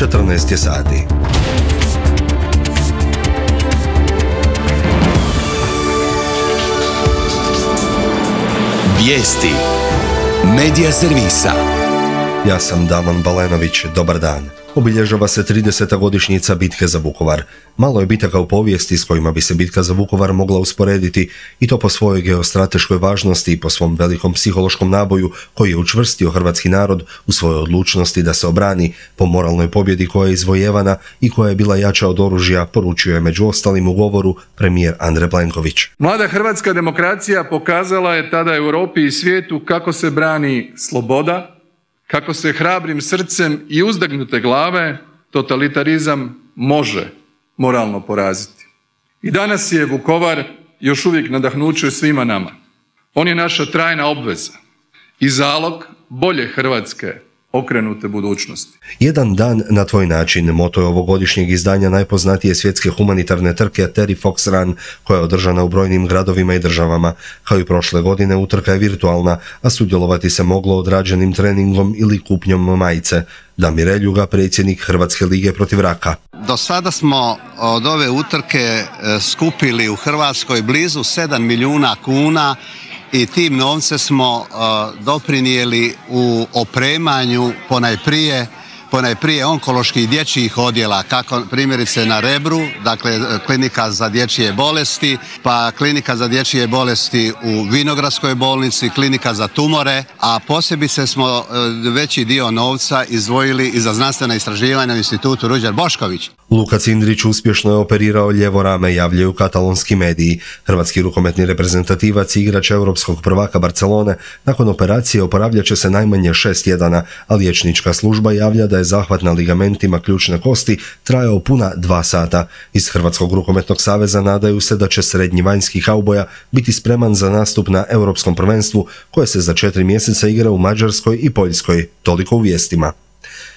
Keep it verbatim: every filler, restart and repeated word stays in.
četrnaest je sati. Vijesti Medija servisa. Ja sam Damon Balenović, dobar dan. Obilježava se trideseta godišnjica bitke za Vukovar. Malo je bitaka u povijesti s kojima bi se bitka za Vukovar mogla usporediti, i to po svojoj geostrateškoj važnosti i po svom velikom psihološkom naboju koji je učvrstio hrvatski narod u svojoj odlučnosti da se obrani, po moralnoj pobjedi koja je izvojevana i koja je bila jača od oružja, poručio je među ostalim u govoru premijer Andrej Plenković. Mlada hrvatska demokracija pokazala je tada Europi i svijetu kako se brani sloboda, kako se hrabrim srcem i uzdagnute glave totalitarizam može moralno poraziti. I danas je Vukovar još uvijek nadahnuće svima nama. On je naša trajna obveza i zalog bolje Hrvatske okrenute budućnosti. Jedan dan na tvoj način, moto je ovogodišnjeg izdanja najpoznatije svjetske humanitarne trke Terry Fox Run, koja je održana u brojnim gradovima i državama. Kao i prošle godine, utrka je virtualna, a sudjelovati se moglo odrađenim treningom ili kupnjom majice. Damir Eljuga, predsjednik Hrvatske lige protiv raka. Do sada smo od ove utrke skupili u Hrvatskoj blizu sedam milijuna kuna i tim novce smo uh, doprinijeli u opremanju ponajprije, ponajprije onkoloških dječjih odjela, kako primjerice na Rebru, dakle klinika za dječje bolesti, pa klinika za dječje bolesti u Vinogradskoj bolnici, klinika za tumore, a posebice smo uh, veći dio novca izdvojili i za znanstvena istraživanja u institutu Ruđer Bošković. Luka Cindrić uspješno je operirao lijevo rame, javljaju katalonski mediji. Hrvatski rukometni reprezentativac i igrač europskog prvaka Barcelone nakon operacije oporavljat će se najmanje šest tjedana, a liječnička služba javlja da je zahvat na ligamentima ključne kosti trajao puna dva sata. Iz Hrvatskog rukometnog saveza nadaju se da će srednji vanjski kauboja biti spreman za nastup na europskom prvenstvu koje se za četiri mjeseca igra u Mađarskoj i Poljskoj. Toliko u vijestima.